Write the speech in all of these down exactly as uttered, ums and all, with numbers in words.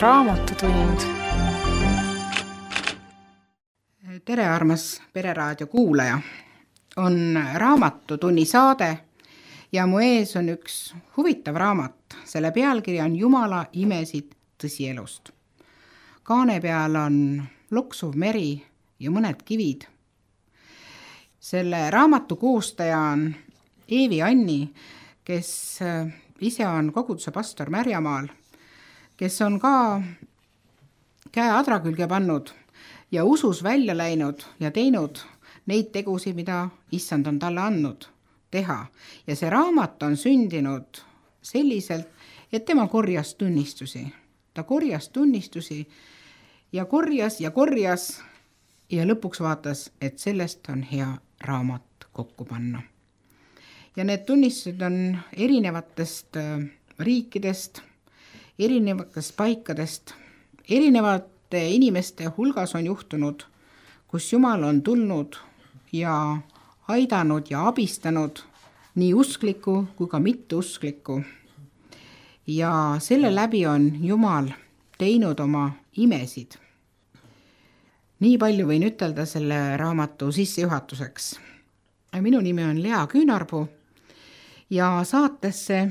Raamatutund. Tere, armas Pereraadio kuulaja! On Raamatutunni saade ja mu ees on üks huvitav raamat. Selle pealkiri on Jumala imesid tõsielust. Kaane peal on loksuv meri ja mõned kivid. Selle raamatu koostaja on Eevi Anni, kes ise on koguduse pastor Märjamaal, kes on ka käe adra külge pannud ja usus välja läinud ja teinud neid tegusid, mida issand on talle andnud teha. Ja see raamat on sündinud selliselt, et tema korjas tunnistusi. Ta korjas tunnistusi ja korjas ja korjas ja lõpuks vaatas, et sellest on hea raamat kokku panna. Ja need tunnistused on erinevatest riikidest, erinevatest paikadest, erinevate inimeste hulgas on juhtunud, kus Jumal on tulnud ja aidanud ja abistanud nii usklikku kui ka mitteusklikku. Ja selle läbi on Jumal teinud oma imesid. Nii palju võin ütelda selle raamatu sissejuhatuseks. Minu nimi on Lea Küünarpuu ja saatesse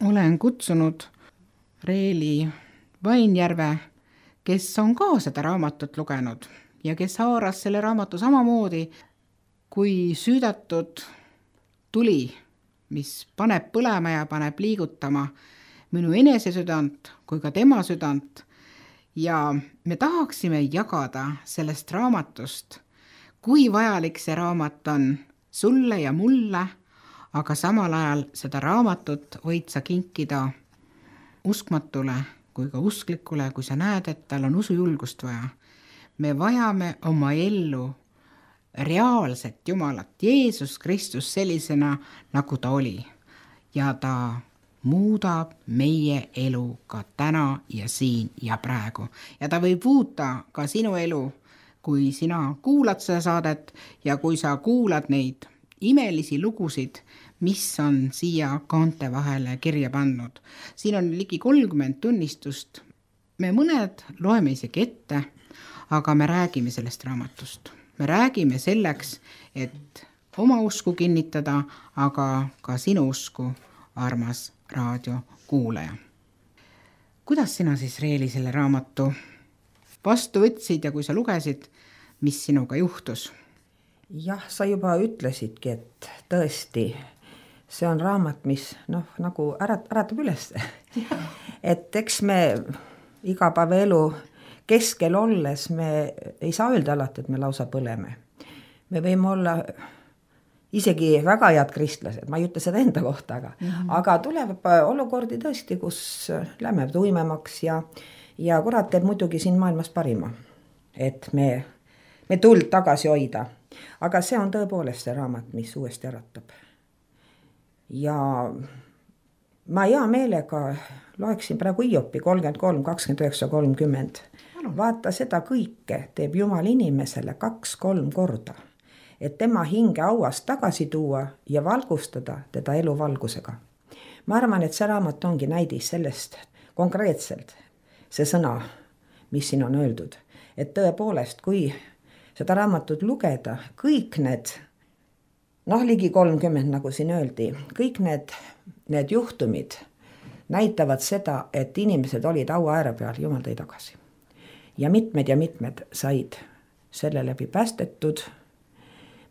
olen kutsunud Reeli Vainjärve, kes on ka seda raamatut lugenud ja kes haaras selle raamatu samamoodi kui süüdatud tuli, mis paneb põlema ja paneb liigutama minu enese südant kui ka tema südant. Ja me tahaksime jagada sellest raamatust, kui vajalik see raamat on sulle ja mulle, aga samal ajal seda raamatut võid sa kinkida uskmatule kui ka usklikule, kui sa näed, et tal on usujulgust vaja. Me vajame oma ellu reaalset Jumalat, Jeesus Kristus sellisena, nagu ta oli. Ja ta muudab meie elu ka täna ja siin ja praegu. Ja ta võib muuta ka sinu elu, kui sina kuulad seda saadet ja kui sa kuulad neid imelisi lugusid, mis on siia kaante vahele kirja pannud. Siin on ligi kolmkümmend tunnistust. Me mõned loeme isegi ette, aga me räägime sellest raamatust. Me räägime selleks, et oma usku kinnitada, aga ka sinu usku, armas raadio kuulaja. Kuidas sina siis, Reeli, selle raamatu vastu võtsid ja kui sa lugesid, mis sinuga juhtus? Jah, sa juba ütlesidki, et tõesti, see on raamat, mis noh, nagu ärat, äratab üles. Et eks me igapäevaelu keskel olles me ei saa öelda alati, et me lausa põleme. Me võime olla isegi väga head kristlased, ma ei ütle seda enda kohta, aga, mm-hmm. aga tuleb olukordi tõesti, kus lähme tuimemaks ja, ja kurat teeb muidugi siin maailmas parima, et me, me tuld tagasi hoida. Aga see on tõepoolest see raamat, mis uuesti äratab. Ja ma hea meelega loeksin praegu Hiopi kolmkümmend kolm, kakskümmend üheksa, kolmkümmend. Vaata, seda kõike teeb Jumal inimesele kaks-kolm korda, et tema hinge auast tagasi tuua ja valgustada teda elu valgusega. Ma arvan, et see raamat ongi näidis sellest konkreetselt, see sõna, mis siin on öeldud. Et tõepoolest, kui seda raamatut lugeda, kõik need, noh ligi kolmkümmend, nagu siin öeldi, kõik need, need juhtumid näitavad seda, et inimesed olid aua ääre peal, Jumal tõi tagasi. Ja mitmed ja mitmed said selle läbi päästetud,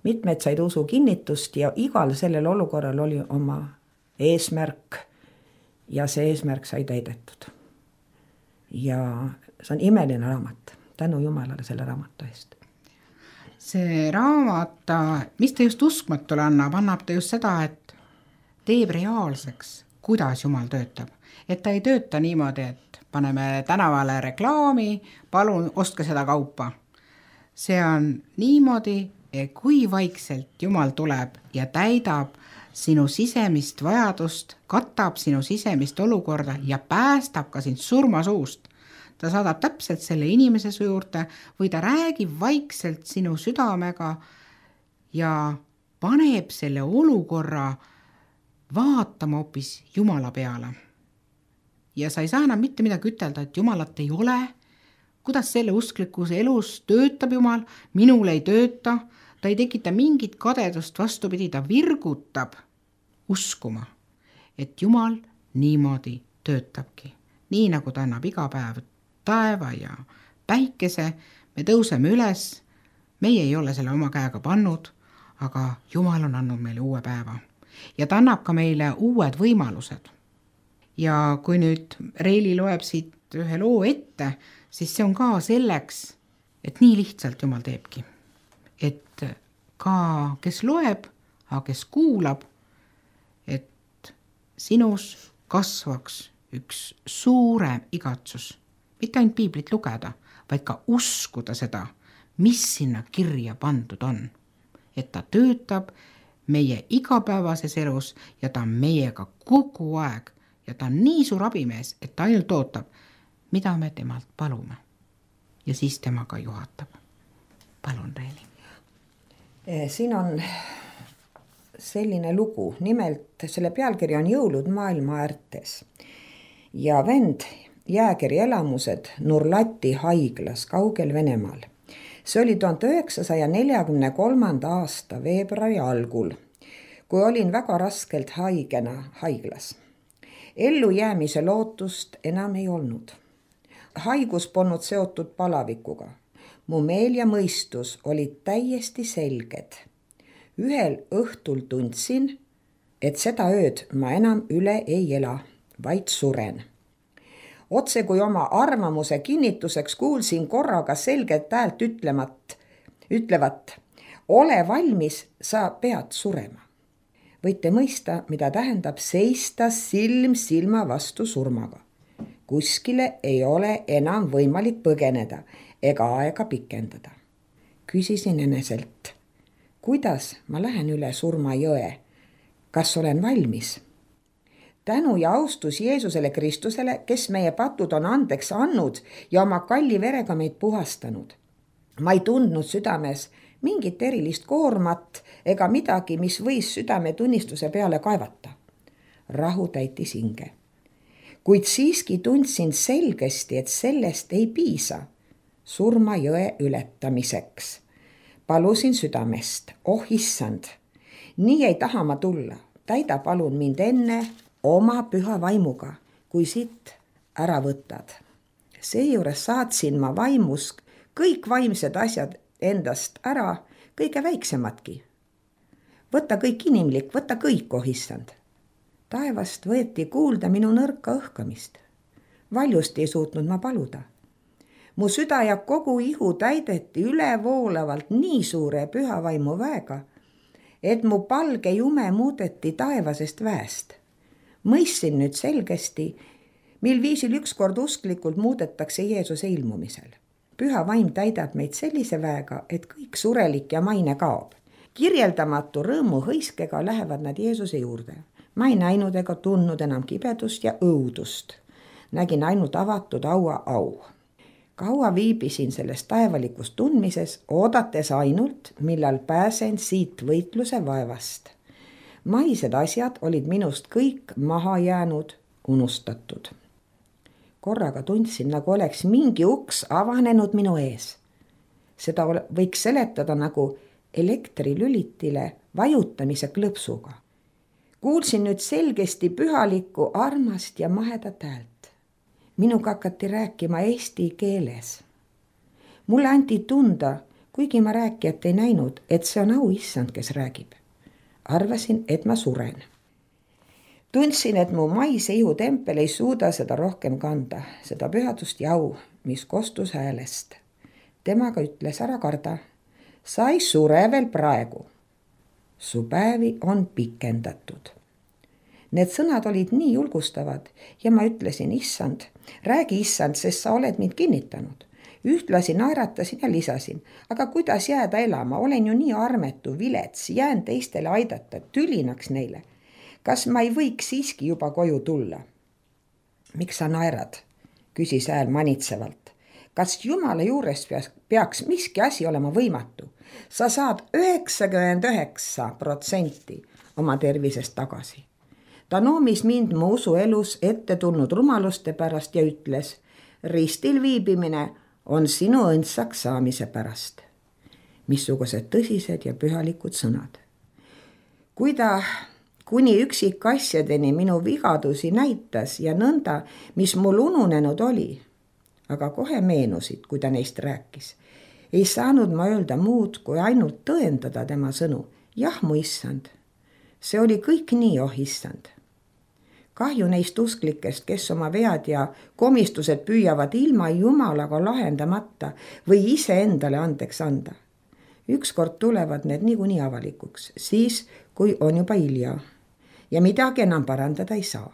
mitmed said usu kinnitust ja igal sellel olukorral oli oma eesmärk ja see eesmärk sai täidetud. Ja see on imeline raamat, tänu Jumalale selle raamatu eest. See raamat, mis ta just uskmatule annab, annab ta just seda, et teeb reaalseks, kuidas Jumal töötab. Et ta ei tööta niimoodi, et paneme tänavale reklaami, palun ostke seda kaupa. See on niimoodi, et kui vaikselt Jumal tuleb ja täidab sinu sisemist vajadust, katab sinu sisemist olukorda ja päästab ka sind surmasuust. Ta saadab täpselt selle inimese su juurde või ta räägib vaikselt sinu südamega ja paneb selle olukorra vaatama hoopis Jumala peale. ja sa ei saa enam mitte midagi ütelda, et Jumalat ei ole, kuidas selle usklikkuse elus töötab Jumal, minul ei tööta, ta ei tekita mingit kadedust, vastupidi, ta virgutab uskuma, et Jumal niimoodi töötabki. Nii nagu ta annab iga päev taeva ja päikese, me tõuseme üles, meie ei ole selle oma käega pannud, aga Jumal on andnud meile uue päeva ja ta annab ka meile uued võimalused. Ja kui nüüd Reili loeb siit ühe loo ette, siis see on ka selleks, et nii lihtsalt Jumal teebki. Et ka kes loeb, aga kes kuulab, et sinus kasvaks üks suurem igatsus, mitte ainult piiblit lugeda, vaid ka uskuda seda, mis sinna kirja pandud on. Et ta töötab meie igapäevases elus ja ta on meiega kogu aeg ja ta on nii suur abimees, et ta ainult ootab, mida me temalt palume. Ja siis tema ka juhatab. Palun, Reili. Siin on selline lugu, nimelt selle pealkiri on Jõulud maailma äärtes ja vend jääkeri elamused Nurlati haiglas kaugel Venemaal. See oli tuhande üheksasaja neljakümne kolmanda aasta veebruari algul, kui olin väga raskelt haigena haiglas. Ellu jäämise lootust enam ei olnud. Haigus polnud seotud palavikuga. Mu meel ja mõistus olid täiesti selged. Ühel õhtul tundsin, et seda ööd ma enam üle ei ela, vaid suren. Otse kui oma arvamuse kinnituseks kuulsin korraga selget häält ütlemat, ütlevat, ole valmis, sa pead surema. Võite mõista, mida tähendab seista silm silma vastu surmaga. Kuskile ei ole enam võimalik põgeneda ega aega pikendada. Küsisin eneselt, kuidas ma lähen üle surma jõe? Kas olen valmis? Tänu ja austus Jeesusele Kristusele, kes meie patud on andeks andnud ja oma kalli verega meid puhastanud. Ma ei tundnud südames mingit erilist koormat ega midagi, mis võis südame tunnistuse peale kaevata. Rahu täitis hinge. Kuid siiski tundsin selgesti, et sellest ei piisa surma jõe ületamiseks. Palusin südamest, oh issand, nii ei taha ma tulla, täida palun mind enne oma püha vaimuga, kui siit ära võtad. Seejuures saatsin ma vaimus kõik vaimsed asjad endast ära, kõige väiksemadki. Võta kõik inimlik, võta kõik, oh issand. Taevast võeti kuulda minu nõrka õhkamist. Valjust ei suutnud ma paluda. Mu süda ja kogu ihu täideti ülevoolavalt nii suure püha vaimu väega, et mu palge jume muudeti taevasest väest. Mõistsin nüüd selgesti, mil viisil ükskord usklikult muudetakse Jeesuse ilmumisel. Püha vaim täidab meid sellise väega, et kõik surelik ja maine kaob. Kirjeldamatu rõõmu hõiskega lähevad nad Jeesuse juurde. Ma ei näinud ega tundnud enam kibedust ja õudust. Nägin ainult avatud aua au. Kaua viibisin selles taevalikus tundmises, oodates ainult, millal pääsen siit võitluse vaevast. Maised asjad olid minust kõik maha jäänud, unustatud. Korraga tundsin, nagu oleks mingi uks avanenud minu ees. Seda võiks seletada nagu elektrilülitile vajutamise klõpsuga. Kuulsin nüüd selgesti pühalikku, armast ja mahedat häält. Minuga hakati rääkima eesti keeles. Mulle anti tunda, kuigi ma rääkijat ei näinud, et see on au issand, kes räägib. Arvasin, et ma suren. Tundsin, et mu maise ihu tempel ei suuda seda rohkem kanda, seda pühadust ja au, mis kostus häälest. Temaga ütles, ära karda, sa ei sure veel praegu. Su päevi on pikendatud. Need sõnad olid nii julgustavad ja ma ütlesin, issand, räägi issand, sest sa oled mind kinnitanud. Ühtlasi naeratasin ja lisasin, aga kuidas jääda elama, olen ju nii armetu, vilets, jään teistele aidata, tülinaks neile. Kas ma ei võiks siiski juba koju tulla? Miks sa naerad? Küsis hääl manitsevalt. Kas Jumala juures peaks miski asi olema võimatu? Sa saad üheksakümmend üheksa protsenti oma tervisest tagasi. ta noomis mind mu usuelus ette tulnud rumaluste pärast ja ütles, ristil viibimine on sinu õndsaks saamise pärast. Missugused tõsised ja pühalikud sõnad. Kui ta kuni üksikasjadeni minu vigadusi näitas ja nõnda, mis mul ununenud oli, aga kohe meenusid, kui ta neist rääkis, ei saanud ma öelda muud, kui ainult tõendada tema sõnu. Jah, mu issand, see oli kõik nii, oh issand. Kahju neist usklikest, kes oma vead ja komistused püüavad ilma Jumalaga lahendamata või ise endale andeks anda. Ükskord tulevad need niikuinii avalikuks, siis kui on juba hilja ja midagi enam parandada ei saa.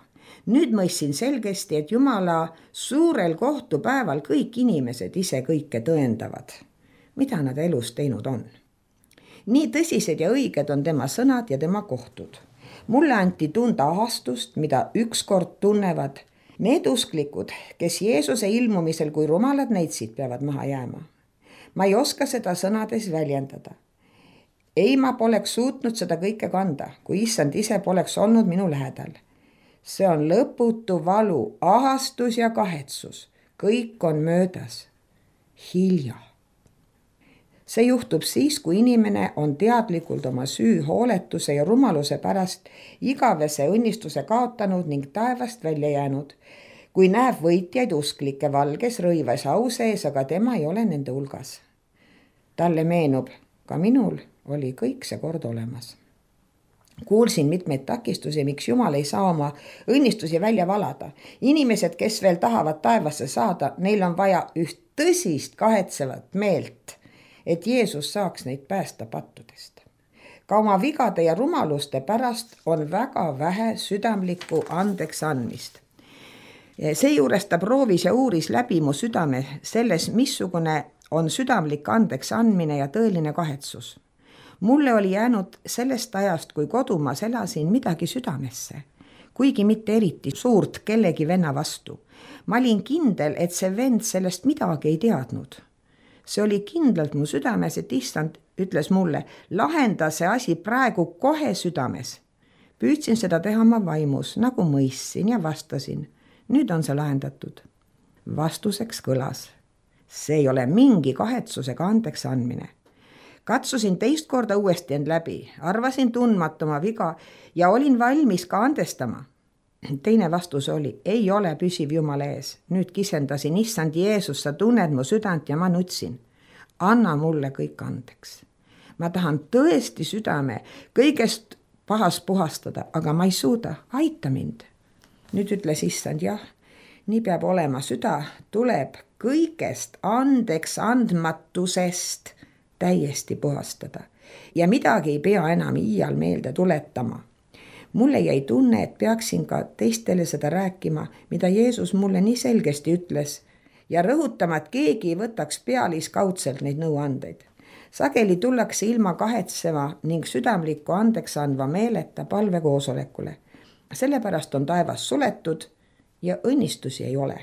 Nüüd mõistsin selgesti, et Jumala suurel kohtupäeval kõik inimesed ise kõike tõendavad, mida nad elus teinud on. Nii tõsised ja õiged on tema sõnad ja tema kohtud. Mulle anti tunda ahastust, mida ükskord tunnevad need usklikud, kes Jeesuse ilmumisel kui rumalad neitsid peavad maha jääma. Ma ei oska seda sõnades väljendada. Ei, ma poleks suutnud seda kõike kanda, kui issand ise poleks olnud minu lähedal. See on lõputu valu, ahastus ja kahetsus. Kõik on möödas. Hilja. See juhtub siis, kui inimene on teadlikult oma süü, hooletuse ja rumaluse pärast igavese õnnistuse kaotanud ning taevast välja jäänud, kui näeb võitjaid usklikke valges rõivas au sees, aga tema ei ole nende hulgas. Talle meenub, ka minul oli kõik see kord olemas. Kuulsin mitmeid takistusi, miks Jumal ei saa oma õnnistusi välja valada. Inimesed, kes veel tahavad taevasse saada, neil on vaja üht tõsist kahetsevat meelt, et Jeesus saaks neid päästa pattudest. Ka oma vigade ja rumaluste pärast on väga vähe südamlikku andeks andmist. Seejuures ta proovis ja uuris läbi mu südame selles, missugune on südamlik andeks andmine ja tõeline kahetsus. Mulle oli jäänud sellest ajast, kui kodumaas elasin, midagi südamesse, kuigi mitte eriti suurt kellegi venna vastu. Ma olin kindel, et see vend sellest midagi ei teadnud. See oli kindlalt mu südames, et issand ütles mulle, lahenda see asi praegu kohe südames. Püüdsin seda teha oma vaimus, nagu mõistsin ja vastasin. Nüüd on see lahendatud. Vastuseks kõlas. See ei ole mingi kahetsusega andeks andmine. Katsusin teist korda uuesti end läbi, arvasin tundmatuma viga ja olin valmis ka andestama. Teine vastus oli, ei ole püsiv Jumala ees. Nüüd kisendasin, issand Jeesus, sa tunned mu südant ja ma nutsin. Anna mulle kõik andeks. Ma tahan tõesti südame kõigest pahast puhastada, aga ma ei suuda, aita mind. Nüüd ütles issand, jah, nii peab olema, süda tuleb kõigest andeks andmatusest täiesti puhastada ja midagi ei pea enam iial meelde tuletama. Mulle jäi tunne, et peaksin ka teistele seda rääkima, mida Jeesus mulle nii selgesti ütles ja rõhutama, et keegi ei võtaks pealiskaudselt neid nõuandeid. Sageli tullakse ilma kahetseva ning südamlikku andeks andva meeleta palvekoosolekule. Sellepärast on taevas suletud ja õnnistusi ei ole.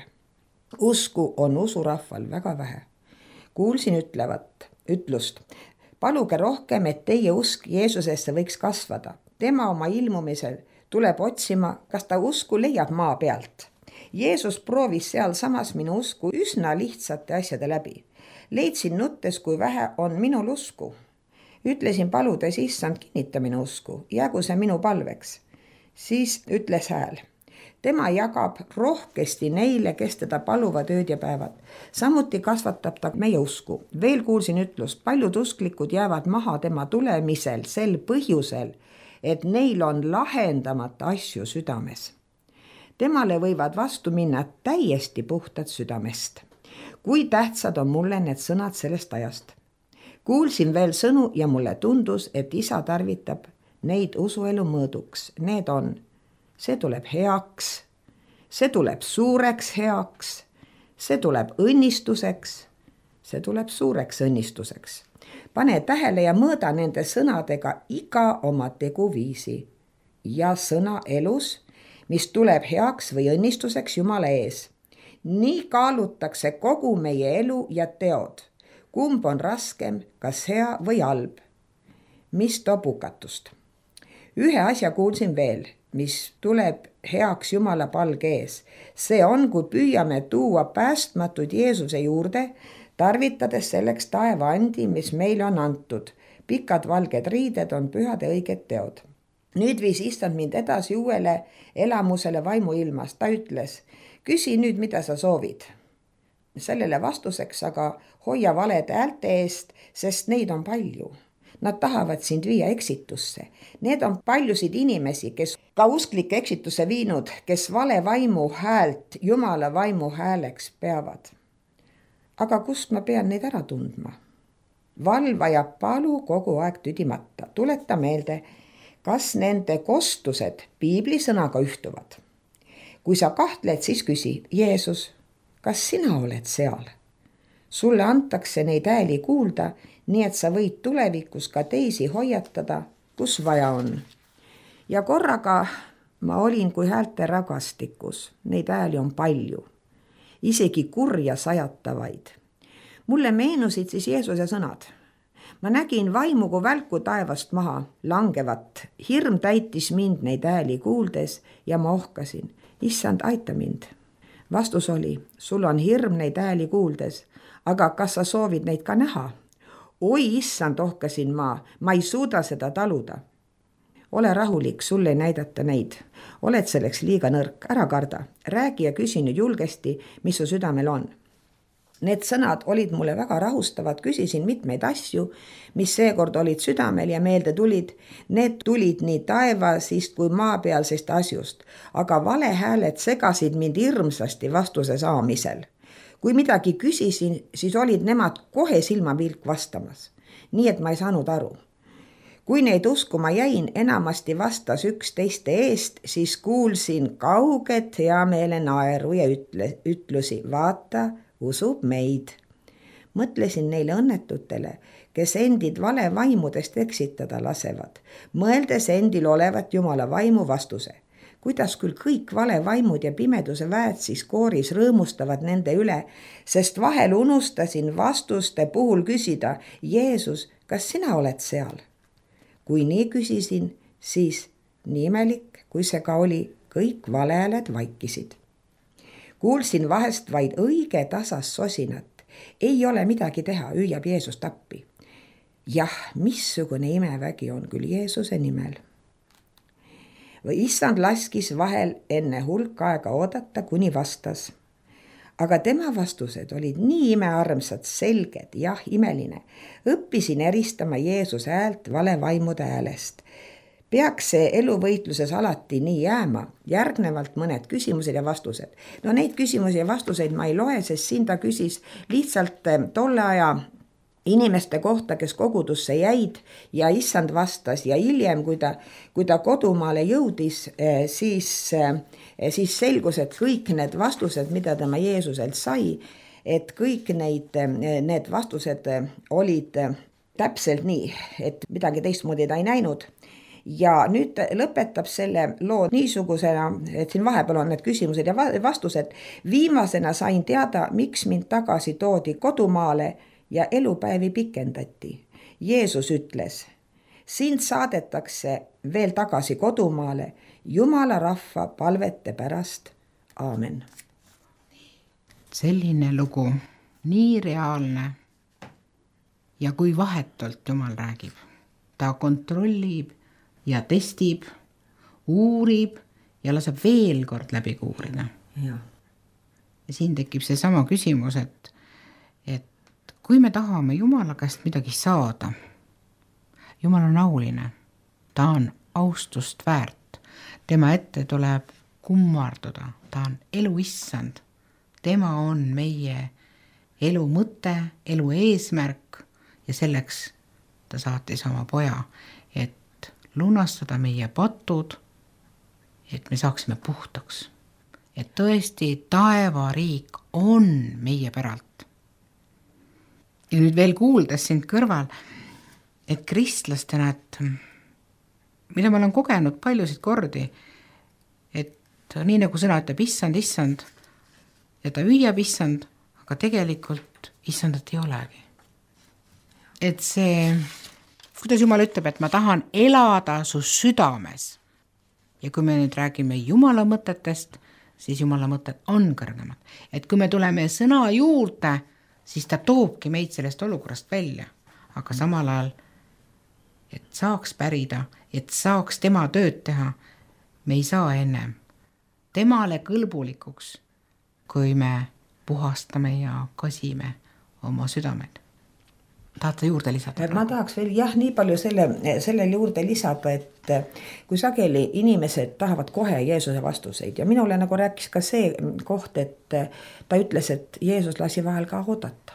Usku on usurahval väga vähe. Kuulsin ütlevat, ütlust, paluge rohkem, et teie usk Jeesusesse võiks kasvada. Tema oma ilmumisel tuleb otsima, kas ta usku leiab maa pealt. Jeesus proovis seal samas minu usku üsna lihtsate asjade läbi. Leidsin nuttes, kui vähe on minul usku. Ütlesin paludes, issand, kinnita minu usku, jäägu see minu palveks. Siis ütles hääl. Tema jagab rohkesti neile, kes teda paluvad ööd ja päevad. Samuti kasvatab ta meie usku. Veel kuulsin ütlust, paljud usklikud jäävad maha tema tulemisel sel põhjusel, et neil on lahendamata asju südames. Temale võivad vastu minna täiesti puhtad südamest. Kui tähtsad on mulle need sõnad sellest ajast. Kuulsin veel sõnu ja mulle tundus, et isa tarvitab neid usuelu mõõduks. Need on, see tuleb heaks, see tuleb suureks heaks, see tuleb õnnistuseks, see tuleb suureks õnnistuseks. Pane tähele ja mõõda nende sõnadega iga oma teguviisi ja sõna elus, mis tuleb heaks või õnnistuseks Jumala ees. Nii kaalutakse kogu meie elu ja teod. Kumb on raskem, kas hea või halb? Mis toob hukatust? Ühe asja kuulsin veel. mis tuleb heaks Jumala palge ees. see on, kui püüame tuua päästmatud Jeesuse juurde, tarvitades selleks taevaandi, mis meile on antud. Pikad valged riided on pühade õiged teod. Nüüd viis issand mind edasi uuele elamusele vaimuilmas. Ta ütles, küsi nüüd, mida sa soovid. Sellele vastuseks aga hoia valede häälte eest, sest neid on palju. Nad tahavad sind viia eksitusse. Need on paljusid inimesi, kes ka usklike eksitusse viinud, kes vale vaimu häält Jumala vaimu hääleks peavad. Aga kust ma pean neid ära tundma? Valva ja palu kogu aeg tüdimata. Tuleta meelde, kas nende kostused piibli sõnaga ühtuvad. Kui sa kahtled, siis küsi, Jeesus, kas sina oled seal? Sulle antakse neid hääli kuulda, nii et sa võid tulevikus ka teisi hoiatada, kus vaja on. Ja korraga ma olin kui häälte ragastikus. Neid hääli on palju. Isegi kurja sajatavaid. Mulle meenusid siis Jeesuse sõnad. Ma nägin vaimu kui välku taevast maha langevat. Hirm täitis mind neid hääli kuuldes ja ma ohkasin. Issand, aita mind. Vastus oli, sul on hirm neid hääli kuuldes, aga kas sa soovid neid ka näha? Oi, issand, ohkasin ma, ma ei suuda seda taluda. Ole rahulik, sulle ei näidata neid. Oled selleks liiga nõrk, ära karda. Räägi ja küsi nüüd julgesti, mis su südamel on. Need sõnad olid mulle väga rahustavad, küsisin mitmeid asju, mis seekord olid südamel ja meelde tulid. Need tulid nii taevasist kui maapealsest asjust, aga valehääled segasid mind hirmsasti vastuse saamisel. Kui midagi küsisin, siis olid nemad kohe silmavilk vastamas, nii et ma ei saanud aru. Kui neid uskuma jäin, enamasti vastas üks teiste eest, siis kuulsin kauget heameele naeru ja ütle, ütlusi, vaata, usub meid. Mõtlesin neile õnnetutele, kes endid vale vaimudest eksitada lasevad, mõeldes endil olevat Jumala vaimu vastuse. Kuidas küll kõik vale vaimud ja pimeduse väed siis kooris rõõmustavad nende üle, sest vahel unustasin vastuste puhul küsida, Jeesus, kas sina oled seal? Kui nii küsisin, siis nii imelik, kui see ka oli, kõik valehääled vaikisid. Kuulsin vahest vaid õige tasas sosinat. Ei ole midagi teha, hüüab Jeesus tappi. Jah, missugune imevägi on küll Jeesuse nimel. Või issand laskis vahel enne hulk aega oodata, kuni vastas. Aga tema vastused olid nii imearmsad, selged, jah, imeline. Õppisin eristama Jeesuse häält valevaimude häälest. Peaks see eluvõitluses alati nii jääma, järgnevalt mõned küsimused ja vastused. No neid küsimusi ja vastuseid ma ei loe, sest siin ta küsis lihtsalt tolle aja inimeste kohta, kes kogudusse jäid ja issand vastas ja hiljem, kui ta, kui ta kodumaale jõudis, siis, siis selgus, et kõik need vastused, mida tema Jeesuselt sai, et kõik neid, need vastused olid täpselt nii, et midagi teistmoodi ta ei näinud. Ja nüüd lõpetab selle loo niisugusena, et siin vahepeal on need küsimused ja vastused. Viimasena sain teada, miks mind tagasi toodi kodumaale ja elupäevi pikendati. Jeesus ütles, sind saadetakse veel tagasi kodumaale Jumala rahva palvete pärast. Aamen. Selline lugu, nii reaalne ja kui vahetult Jumal räägib. Ta kontrollib ja testib, uurib ja laseb veel kord läbi uurida. Ja. Ja siin tekib see sama küsimus, et, et kui me tahame Jumala käest midagi saada, Jumal on auline, ta on austust väärt, tema ette tuleb kummarduda, ta on elu issand, tema on meie elu mõte, elu eesmärk ja selleks ta saatis oma poja, et lunastada meie patud, et me saaksime puhtaks. Et tõesti taevariik on meie päralt. Ja nüüd veel kuuldes sind kõrval, et kristlastena, et mida ma olen kogenud paljusid kordi, et nii nagu sõna ütleb issand, issand, ja ta hüüab issand, aga tegelikult issandat ei olegi. Et see, kuidas Jumal ütleb, et ma tahan elada su südames. Ja kui me nüüd räägime Jumala mõtetest, siis Jumala mõtted on kõrgemad. Et kui me tuleme sõna juurde, siis ta toobki meid sellest olukorrast välja. Aga samal ajal, et saaks pärida, et saaks tema tööd teha, me ei saa ennem temale kõlbulikuks, kui me puhastame ja kasime oma südamed. Tahate juurde lisada? Ma tahaks veel jah, nii palju selle, sellel juurde lisada, et kui sageli inimesed tahavad kohe Jeesuse vastuseid ja minule nagu rääkis ka see koht, et ta ütles, et Jeesus lasi vahel ka oodata.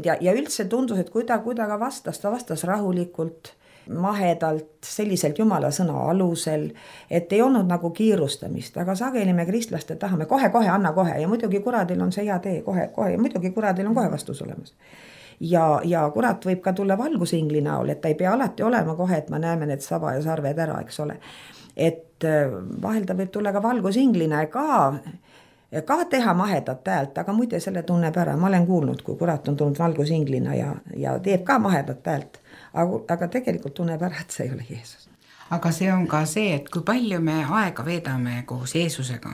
Ja, ja üldse tundus, et kui ta, kui ta ka vastas, ta vastas rahulikult, mahedalt, selliselt Jumala sõna alusel, et ei olnud nagu kiirustamist, aga sageli me kristlaste tahame kohe, kohe, anna kohe ja muidugi kuradil on see hea tee kohe, kohe ja muidugi kuradil on kohe vastus olemas. Ja, ja kurat võib ka tulla valgusingli näol, et ta ei pea alati olema kohe, et me näeme need saba ja sarved ära, eks ole. Et vahel ta võib tulla ka valgusinglina ka, ka teha mahedat häält, aga muide selle tunneb ära. Ma olen kuulnud, kui kurat on tulnud valgusinglina ja, ja teeb ka mahedat häält, aga, aga tegelikult tunneb ära, et see ei ole Jeesus. Aga see on ka see, et kui palju me aega veedame koos Jeesusega,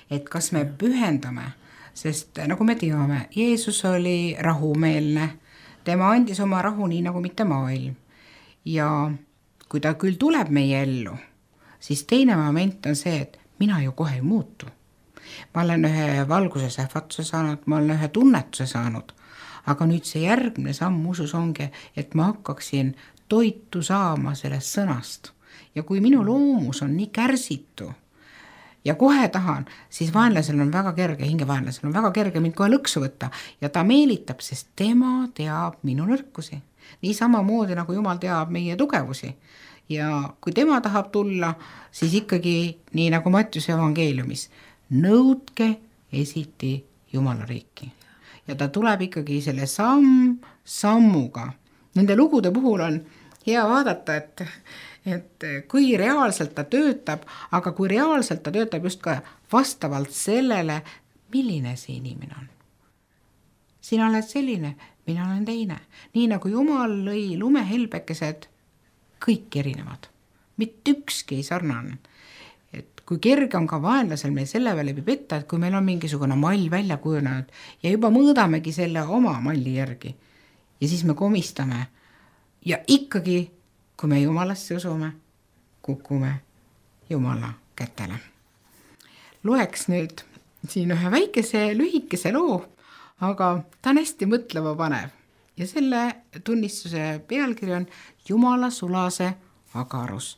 et kas me pühendame, sest nagu me teame, Jeesus oli rahumeelne, tema andis oma rahu nii nagu mitte maailm. Ja kui ta küll tuleb meie ellu, siis teine moment on see, et mina ju kohe ei muutu. Ma olen ühe valguse sähvatuse saanud, ma olen ühe tunnetuse saanud, aga nüüd see järgmine samm usus ongi, et ma hakkaksin toitu saama sellest sõnast. Ja kui minu loomus on nii kärsitu ja kohe tahan, siis vaenlasel on väga kerge, hingevaenlasel on väga kerge mind kohe lõksu võtta ja ta meelitab, sest tema teab minu nõrkusi. Nii samamoodi nagu Jumal teab meie tugevusi. Ja kui tema tahab tulla, siis ikkagi nii nagu Mattiuse evangeeliumis, nõudke esiti Jumala riiki. Ja ta tuleb ikkagi selle samm sammuga. Nende lugude puhul on hea vaadata, et, et kui reaalselt ta töötab, aga kui reaalselt ta töötab just ka vastavalt sellele, milline see inimene on. Sina oled selline, mina olen teine. Nii nagu Jumal lõi lumehelbekesed, kõik erinevad. Mitte ükski ei sarnane. Et kui kerge on ka vaenlasel meil selle peale petta, et kui meil on mingisugune mall välja kujunenud ja juba mõõdamegi selle oma malli järgi ja siis me komistame ja ikkagi, kui me Jumalasse usume, kukume Jumala kätele. Loeks nüüd siin ühe väikese lühikese loo, aga ta on hästi mõtleva panev ja selle tunnistuse pealkiri on Jumala sulase agarus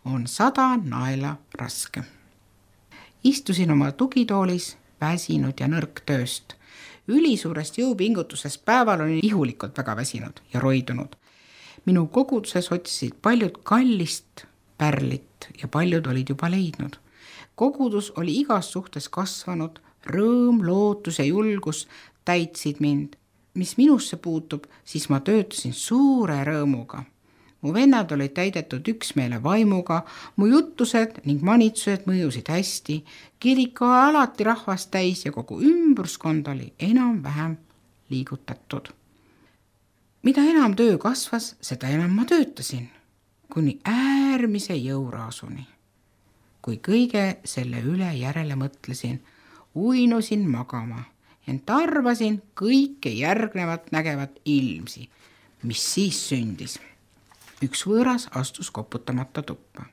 on sada naela raske. Istusin oma tugitoolis, väsinud ja nõrk tööst. Ülisuurest jõupingutusest päeval olin ihulikult väga väsinud ja roidunud. Minu koguduses otsisid paljud kallist pärlit ja paljud olid juba leidnud. Kogudus oli igas suhtes kasvanud, rõõm, lootus ja julgus täitsid mind. Mis minusse puutub, siis ma töötasin suure rõõmuga. Mu vennad olid täidetud üksmeele vaimuga, mu jutused ning manitsused mõjusid hästi, kirik oli alati rahvast täis ja kogu ümbruskond oli enam-vähem liigutatud. Mida enam töö kasvas, seda enam ma töötasin, kuni äärmise jõuraasuni. Kui kõige selle üle järele mõtlesin, uinusin magama, ent arvasin kõike järgnevat nägevat ilmsi, mis siis sündis. Üks võõras astus koputamata tuppa.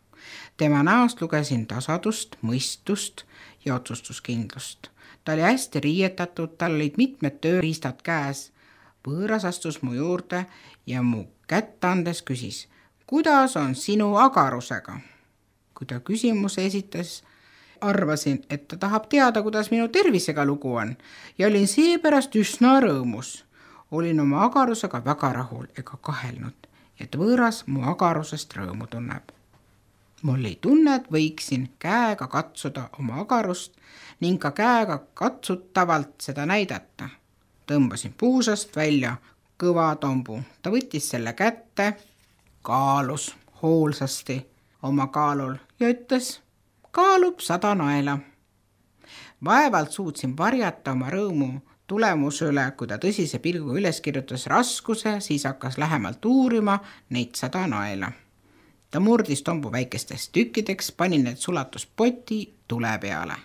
Tema näost lugesin tasadust, mõistust ja otsustuskindlust. Ta oli hästi riietatud, tal olid mitmed tööriistad käes. Võõras astus mu juurde ja mu kätt andes küsis, kuidas on sinu agarusega? Kui ta küsimuse esitas, arvasin, et ta tahab teada, kuidas minu tervisega lugu on ja olin seepärast üsna rõõmus. Olin oma agarusega väga rahul ega kahelnud, et võõras mu agarusest rõõmu tunneb. Mul ei tunne, et võiksin käega katsuda oma agarust ning ka käega katsutavalt seda näidata. Tõmbasin puusast välja kõva tombu. Ta võttis selle kätte, kaalus hoolsasti oma kaalul ja ütles, kaalub sada naela. Vaevalt suutsin varjata oma rõõmu tulemuse üle, kui ta tõsise pilguga üles kirjutas raskuse, siis hakkas lähemalt uurima neid sada naela. Ta murdis tombu väikesteks tükkideks, pani need sulatuspoti tule peale.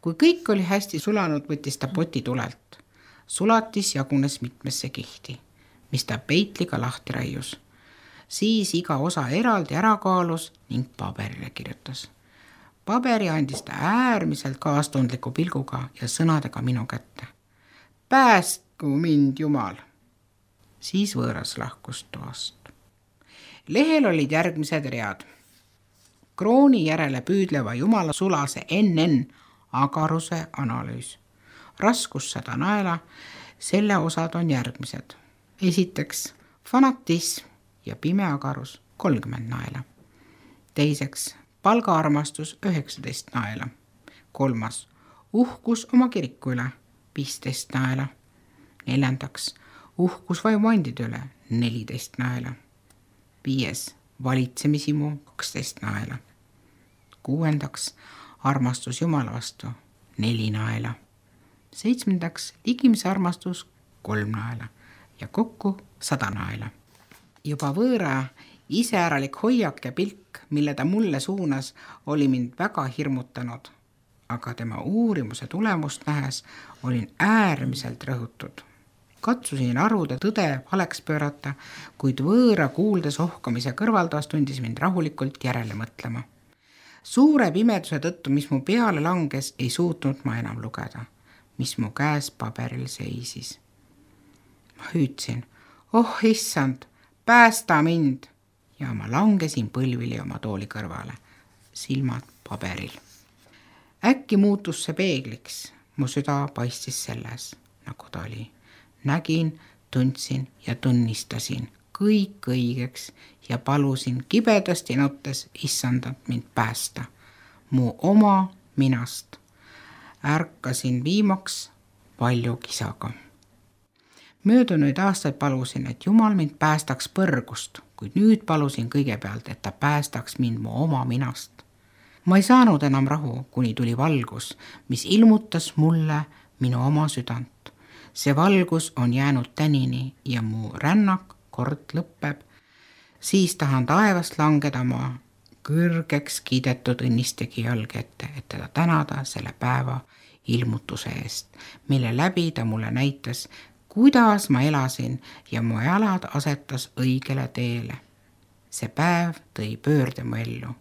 Kui kõik oli hästi sulanud, võttis ta poti tulelt. Sulatis jagunes mitmesse kihti, mis ta peitliga lahti raius. Siis iga osa eraldi ära kaalus ning paberile kirjutas. Paberi andis ta äärmiselt kaastundliku pilguga ja sõnadega minu kätte. Päästku mind Jumal! Siis võõras lahkus toast. Lehel olid järgmised read. Krooni järele püüdleva Jumala sulase N N agaruse analüüs. Raskus sada naela, selle osad on järgmised. Esiteks, fanatism ja pime agarus kolmkümmend naela. Teiseks, palgaarmastus üheksateist naela. Kolmas, uhkus oma kiriku üle viisteist naela. Neljandaks, uhkus vaimuandide üle neliteist naela. Viies, valitsemisimu kaksteist naela. Kuuendaks, armastus Jumala vastu neli naela. Seitsmendaks, ligimise armastus kolm naela ja kokku sada naela. Juba võõra iseäralik hoiak ja pilk, mille ta mulle suunas, oli mind väga hirmutanud, aga tema uurimuse tulemust nähes olin äärmiselt rõhutud. Katsusin arvude tõde valeks pöörata, kuid võõra kuuldes ohkamise kõrvaldas tundis mind rahulikult järele mõtlema. Suure pimeduse tõttu, mis mu peale langes, ei suutnud ma enam lugeda, mis mu käes paberil seisis. Ma hüüdsin, oh issand, päästa mind! Ja ma langesin põlvili oma tooli kõrvale, silmad paberil. Äkki muutus see peegliks, mu süda paistis selles, nagu ta oli. Nägin, tundsin ja tunnistasin kõik õigeks ja palusin kibedasti nuttes issandat mind päästa, mu oma minast. Ärkasin viimaks palju kisaga. Möödunuid aastaid palusin, et Jumal mind päästaks põrgust, kuid nüüd palusin kõigepealt, et ta päästaks mind mu oma minast. Ma ei saanud enam rahu, kuni tuli valgus, mis ilmutas mulle minu oma südant. See valgus on jäänud tänini ja mu rännak kord lõpeb. Siis tahan taevast langeda ma kõrgeks kiidetud õnnistegi jalge ette, et teda tänada selle päeva ilmutuse eest, mille läbi ta mulle näitas, kuidas ma elasin ja mu jalad asetas õigele teele. See päev tõi pöörde mu ellu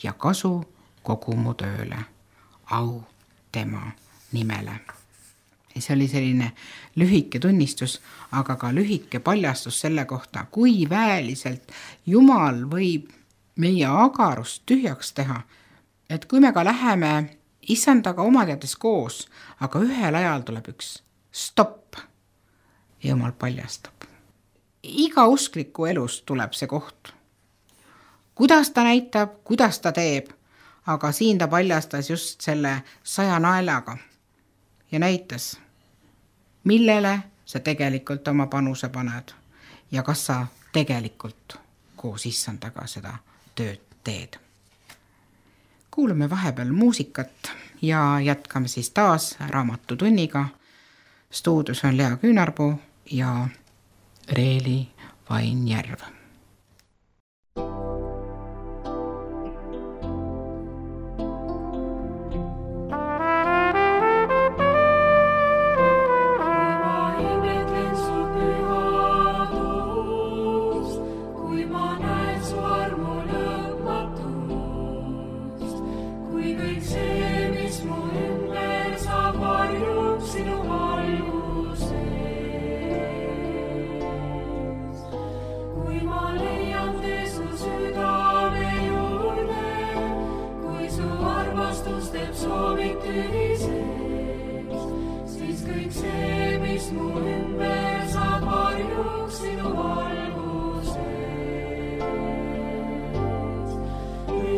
ja kasu kogu mu tööle. Au tema nimele. See oli selline lühike tunnistus, aga ka lühike paljastus selle kohta, kui väeliselt Jumal võib meie agarust tühjaks teha. Et kui me ka läheme issandaga omateades koos, aga ühel ajal tuleb üks stopp. Jumal paljastab. Iga uskliku elus tuleb see koht. Kuidas ta näitab, kuidas ta teeb, aga siin ta paljastas just selle saja naelaga ja näitas, millele sa tegelikult oma panuse paned ja kas sa tegelikult koos issandaga seda tööd teed. Kuulame vahepeal muusikat ja jätkame siis taas raamatutunniga. Stuudios on Lea Küünarpuu ja Reeli Vainjärv.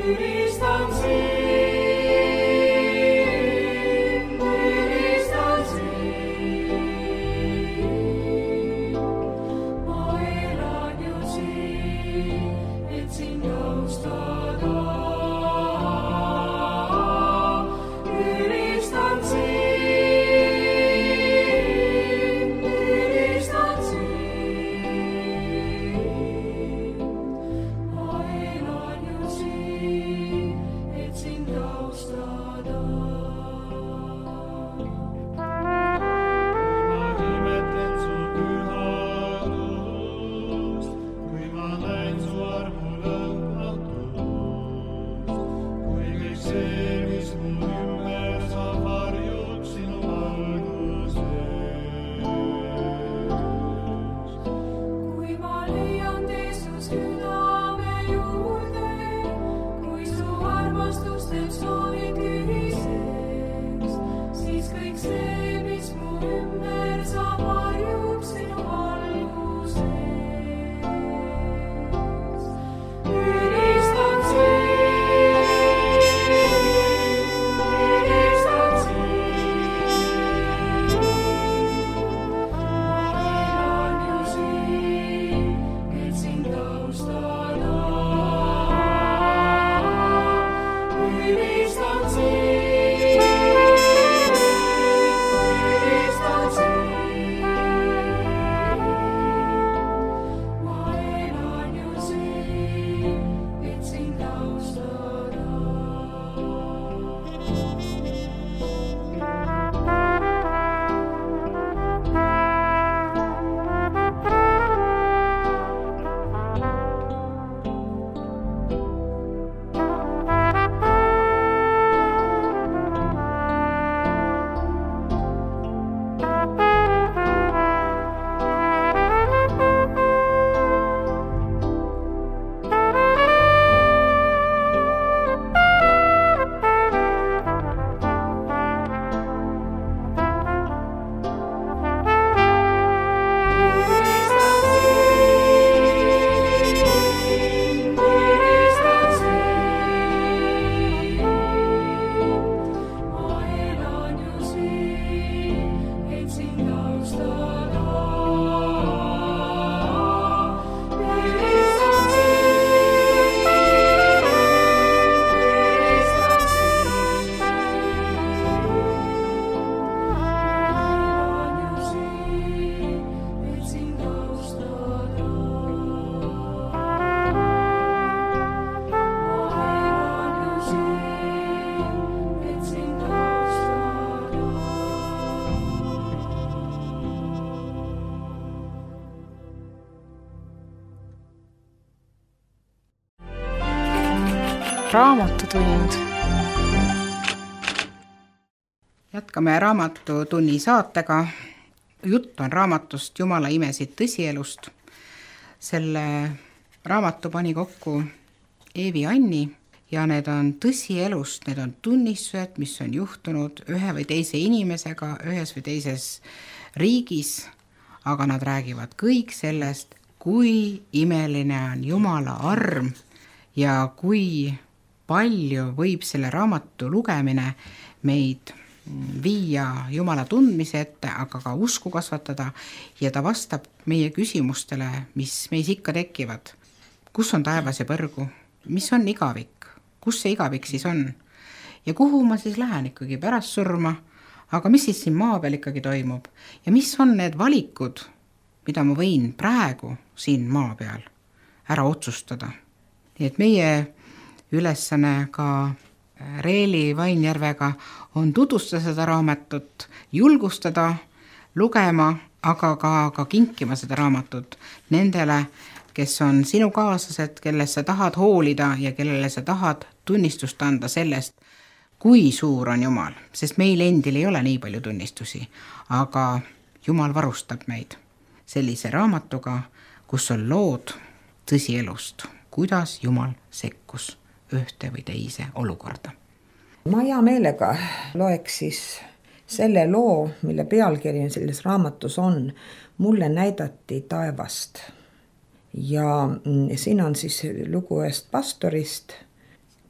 Ülistan raamatutund. Jätkame Raamatutunni saatega. Jutt on raamatust Jumala imesid tõsielust. Selle raamatu pani kokku Eevi Anni ja need on tõsielust, need on tunnistused, mis on juhtunud ühe või teise inimesega, ühes või teises riigis, aga nad räägivad kõik sellest, kui imeline on Jumala arm ja kui palju võib selle raamatu lugemine meid viia Jumala tundmise ette, aga ka usku kasvatada ja ta vastab meie küsimustele, mis meis ikka tekivad. Kus on taevas ja põrgu? Mis on igavik? Kus see igavik siis on? Ja kuhu ma siis lähen ikkagi pärast surma? Aga mis siis siin maa peal ikkagi toimub? Ja mis on need valikud, mida ma võin praegu siin maa peal ära otsustada? Nii et meie ülesanne ka Reeli Vainjärvega on tutvustada seda raamatut, julgustada, lugema, aga ka, ka kinkima seda raamatut nendele, kes on sinu kaaslased, kelle sa tahad hoolida ja kellele sa tahad tunnistust anda sellest, kui suur on Jumal, sest meil endil ei ole nii palju tunnistusi, aga Jumal varustab meid sellise raamatuga, kus on lood tõsielust, kuidas Jumal sekkus ühte või teise olukorda. Ma hea meelega loeks siis selle loo, mille pealkiri selles raamatus on, mulle näidati taevast. Ja siin on siis lugu ühest pastorist,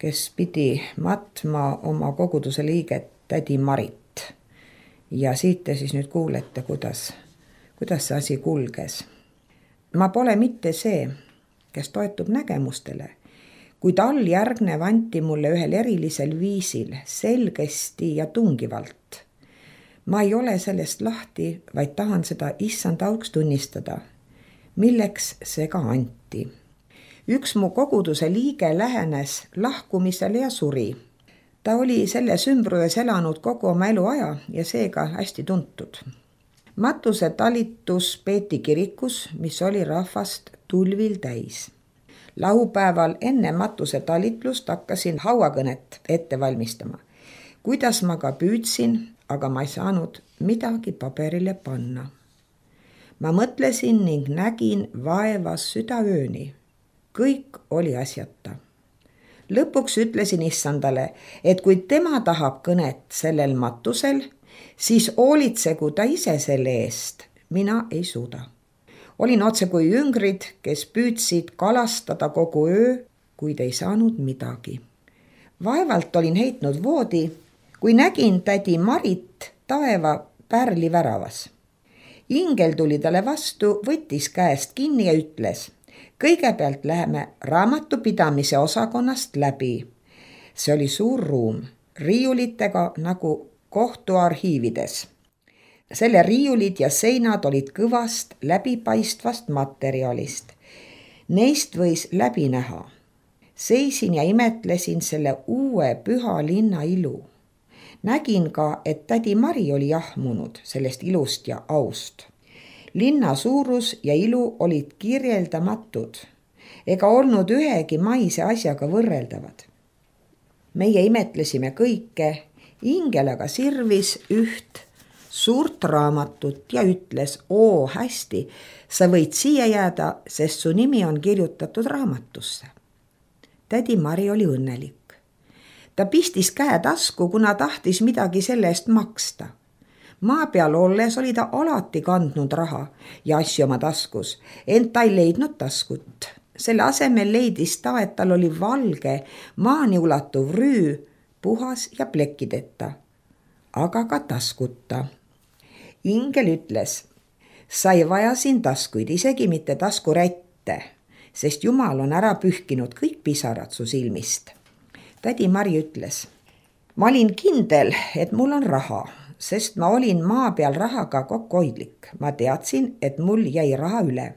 kes pidi matma oma koguduse liiget tädi Marit. Ja siit te siis nüüd kuulete, kuidas, kuidas see asi kulges. Ma pole mitte see, kes toetub nägemustele, kuid all järgnev anti mulle ühel erilisel viisil, selgesti ja tungivalt. Ma ei ole sellest lahti, vaid tahan seda issand auks tunnistada, milleks see ka anti. Üks mu koguduse liige lähenes lahkumisele ja suri. Ta oli selles ümbruses elanud kogu oma eluaja ja seega hästi tuntud. Matuse talitus peeti kirikus, mis oli rahvast tulvil täis. Laupäeval enne matuse talitlust hakkasin hauakõnet ette valmistama. Kuidas ma ka püüdsin, aga ma ei saanud midagi paberile panna. Ma mõtlesin ning nägin vaevas südaööni. Kõik oli asjata. Lõpuks ütlesin issandale, et kui tema tahab kõnet sellel matusel, siis hoolitsegu ta ise selle eest. Mina ei suuda. Olin otse kui jüngrid, kes püüdsid kalastada kogu öö, kuid ei saanud midagi. Vaevalt olin heitnud voodi, kui nägin tädi Marit taeva pärli väravas. Ingel tuli talle vastu, võttis käest kinni ja ütles, kõigepealt läheme raamatupidamise osakonnast läbi. See oli suur ruum, riiulitega nagu kohtuarhiivides. Selle riiulid ja seinad olid kõvast läbipaistvast materjalist. Neist võis läbi näha. Seisin ja imetlesin selle uue püha linna ilu. Nägin ka, et tädi Mari oli jahmunud sellest ilust ja aust. Linna suurus ja ilu olid kirjeldamatud, ega olnud ühegi maise asjaga võrreldavad. Meie imetlesime kõike, ingel aga sirvis üht suurt raamatut ja ütles, oo hästi, sa võid siia jääda, sest su nimi on kirjutatud raamatusse. Tädi Mari oli õnnelik. Ta pistis käe tasku, kuna tahtis midagi selle eest maksta. Maa peal olles oli ta alati kandnud raha ja asju oma taskus, ent ta ei leidnud taskut. Selle asemel leidis ta, et tal oli valge, maani ulatuv rüü, puhas ja plekkideta, aga ka taskuta. Ingel ütles, sa ei vaja siin taskuid, isegi mitte taskurätte, sest Jumal on ära pühkinud kõik pisarad su silmist. Tädi Mari ütles, ma olin kindel, et mul on raha, sest ma olin maa peal rahaga kokkuhoidlik. Ma teadsin, et mul jäi raha üle.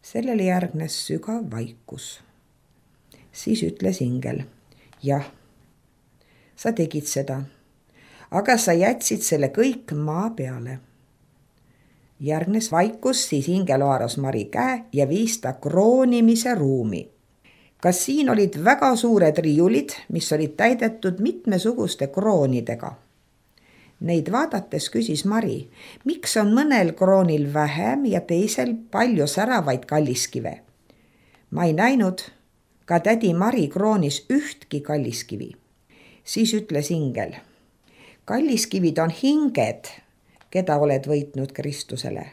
Sellele järgnes sügav vaikus. Siis ütles ingel, jah, sa tegid seda. Aga sa jätsid selle kõik maa peale. Järgnes vaikus, siis ingel haaras Mari käe ja viis ta kroonimise ruumi. kas siin olid väga suured riiulid, mis olid täidetud mitmesuguste kroonidega. Neid vaadates küsis Mari, miks on mõnel kroonil vähem ja teisel palju säravaid kalliskive. Ma ei näinud ka tädi Mari kroonis ühtki kalliskivi. Siis ütles ingel, kalliskivid on hinged, keda oled võitnud Kristusele,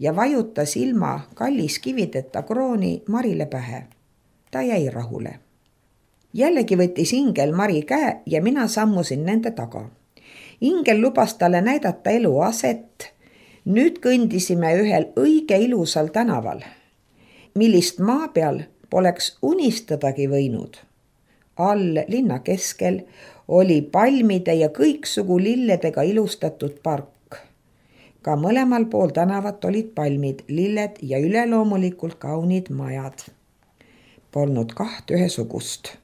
ja vajutas ilma kalliskivideta krooni Marile pähe. Ta jäi rahule. Jällegi võttis ingel Mari käe ja mina sammusin nende taga. Ingel lubas talle näidata eluaset. Nüüd kõndisime ühel õige ilusal tänaval, millist maa peal poleks unistadagi võinud. All linna keskel oli palmide ja kõiksugu lilledega ilustatud park. Ka mõlemal pool tänavat olid palmid, lilled ja üleloomulikult kaunid majad. Polnud kaht ühesugust.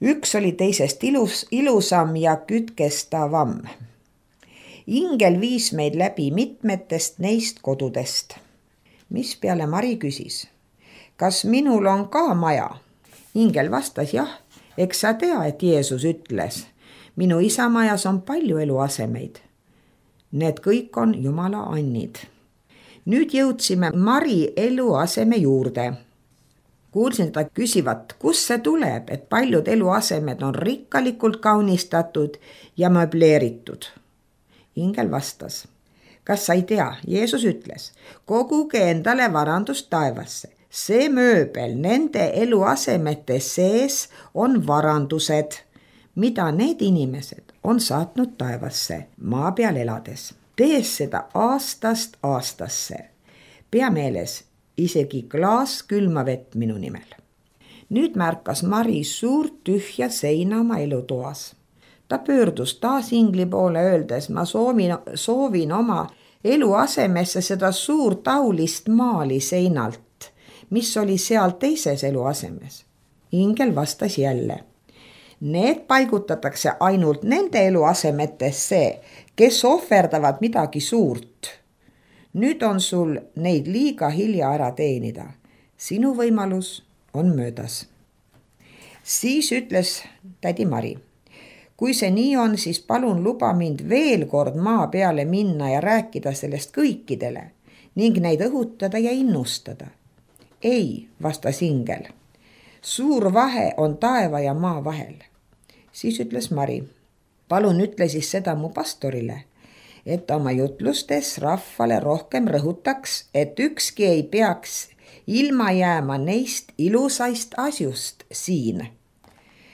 Üks oli teisest ilus, ilusam ja kütkestavam. Ingel viis meid läbi mitmetest neist kodudest. Mis peale Mari küsis, kas minul on ka maja? Ingel vastas, jah, eks sa tea, et Jeesus ütles, minu isa majas on palju eluasemeid. Need kõik on Jumala annid. Nüüd jõudsime Mari eluaseme juurde. Kuulsin ta küsivat, kus see tuleb, et paljud eluasemed on rikkalikult kaunistatud ja möbleeritud. Ingel vastas, kas sa ei tea, Jeesus ütles, koguge endale varandust taevasse. See mööbel nende eluasemete sees on varandused, mida need inimesed on saatnud taevasse maa peal elades. Tees seda aastast aastasse. Pea meeles, isegi klaas külma vett minu nimel. Nüüd märkas Mari suurt tühja seina oma elutoas. Ta pöördus taas ingli poole öeldes, ma soovin, soovin oma eluasemesse seda suurt aulist maali seinalt, mis oli seal teises eluasemes. Ingel vastas jälle. Need paigutatakse ainult nende eluasemetesse, kes ohverdavad midagi suurt. Nüüd on sul neid liiga hilja ära teenida. Sinu võimalus on möödas. Siis ütles tädi Mari, kui see nii on, siis palun luba mind veel kord maa peale minna ja rääkida sellest kõikidele ning neid õhutada ja innustada. Ei, vastas ingel. Suur vahe on taeva ja maa vahel. Siis ütles Mari, palun ütle siis seda mu pastorile, et oma jutlustes rahvale rohkem rõhutaks, et ükski ei peaks ilma jääma neist ilusaist asjust siin.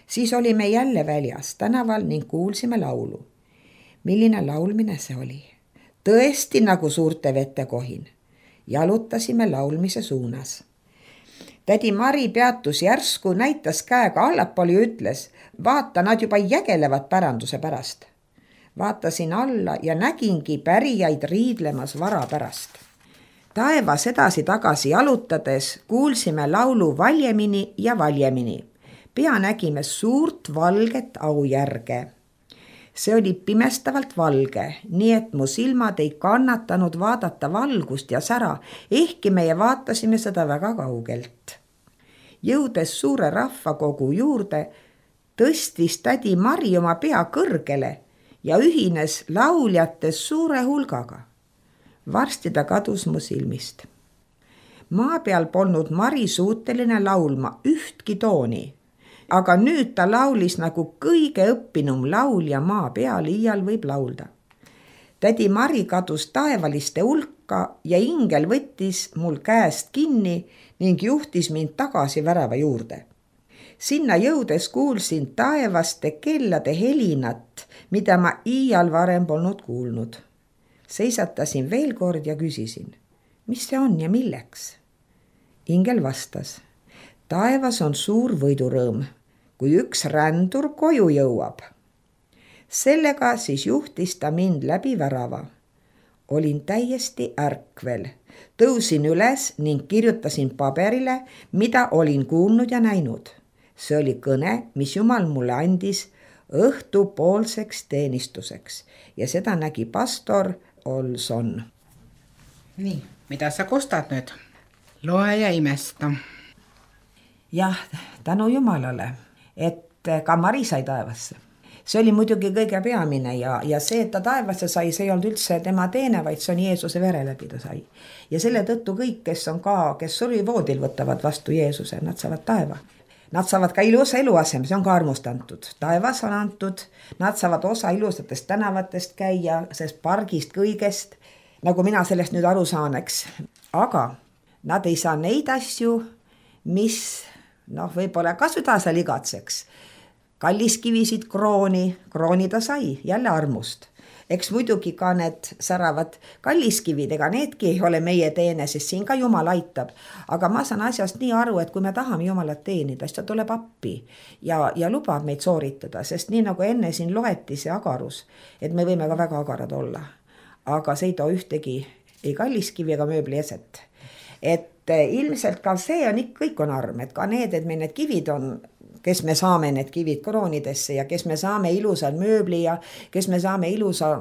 Siis olime jälle väljas tänaval ning kuulsime laulu. Milline laulmine see oli? Tõesti nagu suurte vete kohin. Jalutasime laulmise suunas. Tädi Mari peatus järsku, näitas käega allapoole ja ütles, vaata, nad juba jägelevad päranduse pärast. Vaatasin alla ja nägingi pärijaid riidlemas vara pärast. Taevas edasi tagasi jalutades kuulsime laulu valjemini ja valjemini. Pea nägime suurt valget aujärge. See oli pimestavalt valge, nii et mu silmad ei kannatanud vaadata valgust ja sära, ehkki meie vaatasime seda väga kaugelt. Jõudes suure rahvakogu juurde, tõstis tädi Mari oma pea kõrgele ja ühines lauljatest suure hulgaga. Varsti ta kadus mu silmist. Maa peal polnud Mari suuteline laulma ühtki tooni, aga nüüd ta laulis nagu kõige õppinum laulja maa peal iial võib laulda. Tädi Mari kadus taevaliste hulka ja ingel võttis mul käest kinni ning juhtis mind tagasi värava juurde. Sinna jõudes kuulsin taevaste kellade helinat, mida ma iial varem polnud kuulnud. Seisatasin veel kord ja küsisin, mis see on ja milleks? Ingel vastas, taevas on suur võidurõõm, kui üks rändur koju jõuab. Sellega siis juhtis ta mind läbi värava. Olin täiesti ärkvel, tõusin üles ning kirjutasin paberile, mida olin kuulnud ja näinud. See oli kõne, mis Jumal mulle andis õhtupoolseks teenistuseks ja seda nägi pastor Olson. Nii, mida sa kostad nüüd? Loe ja imesta. jah, tänu Jumalale, et ka Mari sai taevasse. See oli muidugi kõige peamine ja, ja see, et ta taevasse sai, see ei olnud üldse tema teene, vaid see on Jeesuse vere läbi ta sai. Ja selle tõttu kõik, kes on ka, kes surivoodil võtavad vastu Jeesuse, nad saavad taeva. Nad saavad ka ilusa eluasem, see on ka armust antud. Taevas on antud, nad saavad osa ilusatest tänavatest käia, sest pargist kõigest, nagu mina sellest nüüd aru saan, eks. Aga nad ei saa neid asju, mis noh, võib-olla ka süda seal igatseks. Kalliskivisid, krooni, krooni ta sai, jälle armust. Eks muidugi ka need säravad kalliskivid, ega needki ei ole meie teene, sest siin ka Jumal aitab. Aga ma saan asjast nii aru, et kui me tahame Jumalat teenida, siis ta tuleb appi ja, ja lubab meid sooritada, sest nii nagu enne siin loeti see agarus, et me võime ka väga agarad olla. Aga see ei too ühtegi ei kalliskivi ega mööbli eset. Et ilmselt ka see on ikka, kõik on arm, et ka need, et meil need kivid on, kes me saame need kivid kroonidesse ja kes me saame ilusa mööbli ja kes me saame ilusa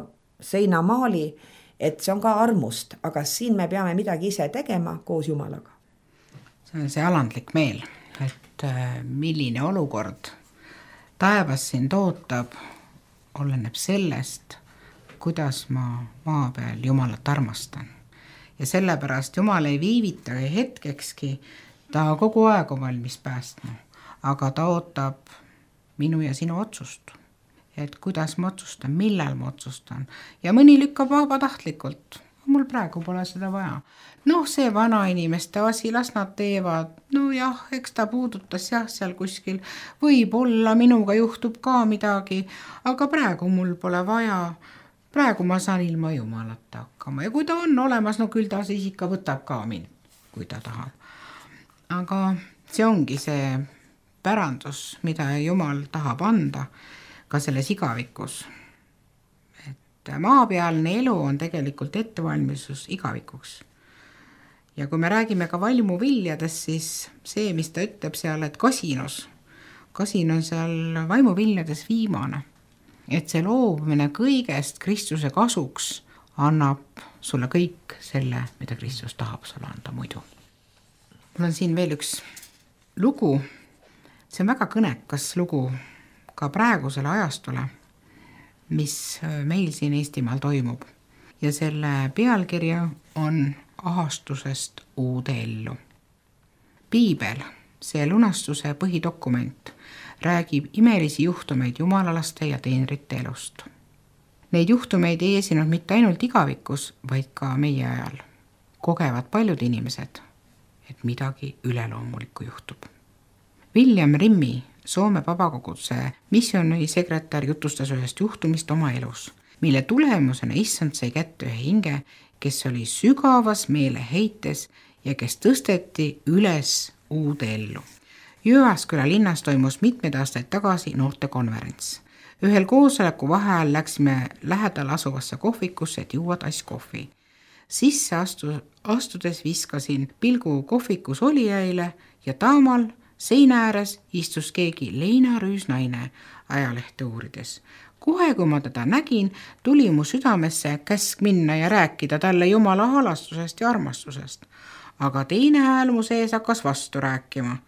seinamaali, et see on ka armust, aga siin me peame midagi ise tegema koos Jumalaga. See on see alandlik meel, et milline olukord taevas siin tootab, oleneb sellest, kuidas ma maa peal Jumalat armastan. Ja sellepärast Jumal ei viivita hetkekski, ta kogu aeg on valmis päästma. Aga ta ootab minu ja sinu otsust, et kuidas ma otsustan, millal ma otsustan. Ja mõni lükkab vabatahtlikult, mul praegu pole seda vaja. Noh, see vana inimeste asi, las nad teevad, no jah, eks ta puudutas jah seal kuskil, võib-olla minuga juhtub ka midagi, aga praegu mul pole vaja, praegu ma saan ilma Jumalata hakkama. Ja kui ta on olemas, no küll ta siis ikka võtab ka mind, kui ta tahab. Aga see ongi see pärandus, mida Jumal tahab anda ka selles igavikus. Et maapealne elu on tegelikult ettevalmistus igavikuks. Ja kui me räägime ka vaimuviljadest, siis see, mis ta ütleb seal, et kasinus, kasin on seal vaimuviljades viimane. Et see loobumine kõigest Kristuse kasuks annab sulle kõik selle, mida Kristus tahab sulle anda muidu. Mul on siin veel üks lugu. See on väga kõnekas lugu ka praegusele ajastule, mis meil siin Eestimaal toimub. Ja selle pealkirja on Ahastusest uude ellu. Piibel, see lunastuse põhidokument, räägib imelisi juhtumeid jumalalaste ja teenrite elust. Neid juhtumeid ei esinud mitte ainult igavikus, vaid ka meie ajal. Kogevad paljud inimesed, et midagi üleloomulikku juhtub. William Rimmi, Soome vabakoguduse missioonisekretär, jutustas ühest juhtumist oma elus, mille tulemusena issand sai kätte ühe hinge, kes oli sügavas meeleheites ja kes tõsteti üles uude ellu. Jõeasküla linnas toimus mitmed aastaid tagasi noortekonverents. Ühel koosoleku vaheajal läksime lähedal asuvasse kohvikusse, et juua tass kohvi. Sisse astu, astudes viskasin pilgu kohvikus olijaile ja taamal seina ääres istus keegi leinarüüs naine ajalehte uurides. Kohe, kui ma teda nägin, tuli mu südamesse käsk minna ja rääkida talle Jumala halastusest ja armastusest. Aga teine hääl mu sees hakkas vastu rääkima,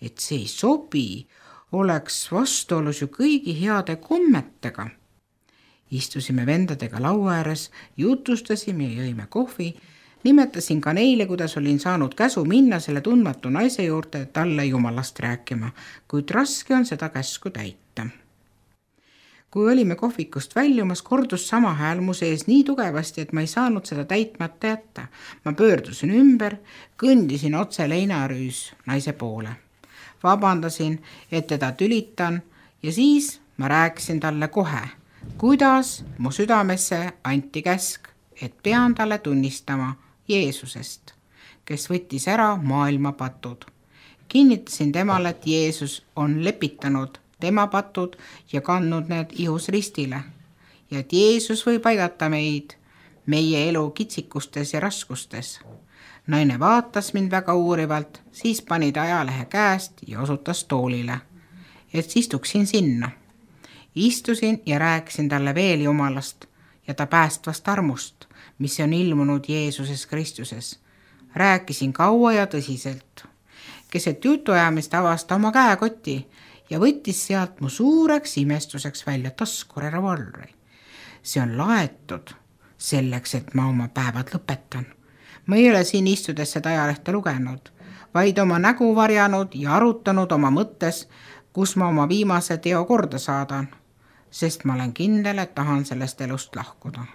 et see ei sobi, oleks vastuolus ju kõigi heade kommetega. Istusime vendadega laua ääres, jutustasime ja jõime kohvi. Nimetasin ka neile, kuidas olin saanud käsu minna selle tundmatu naise juurde talle Jumalast rääkima, kuid raske on seda käsku täita. Kui olime kohvikust väljumas, kordus sama hääl mu sees nii tugevasti, et ma ei saanud seda täitmata jätta. Ma pöördusin ümber, kõndisin otse leinarüüs naise poole. Vabandasin, et teda tülitan ja siis ma rääkisin talle kohe, kuidas mu südamesse anti käsk, et pean talle tunnistama Jeesusest, kes võttis ära maailma patud. Kinnitasin temale, et Jeesus on lepitanud tema patud ja kandnud need ihus ristile ja et Jeesus võib aidata meid meie elu kitsikustes ja raskustes. Naine vaatas mind väga uurivalt, siis pani ta ajalehe käest ja osutas toolile, et istuksin sinna. Istusin ja rääkisin talle veel Jumalast ja ta päästvast armust, mis on ilmunud Jeesuses Kristuses. Rääkisin kaua ja tõsiselt. keset jutuajamist avasta oma käekoti ja võttis sealt mu suureks imestuseks välja taskurevolvri. See on laetud selleks, et ma oma päevad lõpetan. Ma ei ole siin istudes seda ajalehte lugenud, vaid oma nägu varjanud ja arutanud oma mõttes, kus ma oma viimase teo korda saadan, sest ma olen kindel, et tahan sellest elust lahkuda.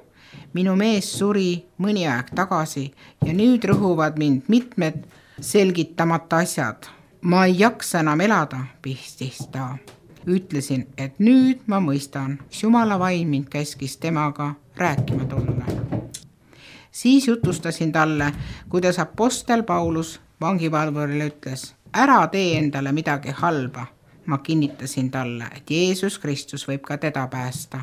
Minu mees suri mõni aeg tagasi ja nüüd rõhuvad mind mitmed selgitamata asjad. Ma ei jaksa enam elada, pistis ta. Ütlesin, et nüüd ma mõistan, mis Jumala vaim mind käskis temaga rääkima tulla. Siis jutustasin talle, kuidas apostel Paulus vangivalvurile ütles, ära tee endale midagi halba. Ma kinnitasin talle, et Jeesus Kristus võib ka teda päästa,